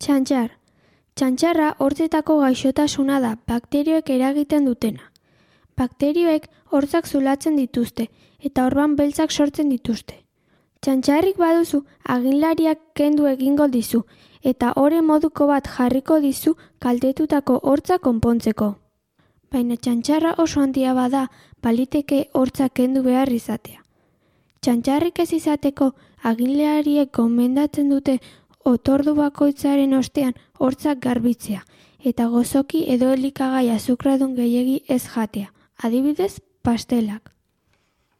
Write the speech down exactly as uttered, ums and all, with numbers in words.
Txantxar. Txantxarra hortzetako gaixotasuna da, bakterioek eragiten dutena. Bakterioek hortzak zulatzen dituzte eta orban beltzak sortzen dituzte. Txantxarrik baduzu, aginlariak kendu egingo dizu eta ore moduko bat jarriko dizu kaltetutako hortza konpontzeko. Baina txantxarra oso handia bada, baliteke hortza kendu behar izatea. Txantxarrik ez izateko, aginlariek gomendatzen dute otordu bakoitzaren ostean hortzak garbitzea eta gozoki edo elikagai azukradun gehiegi ez jatea, adibidez pastelak.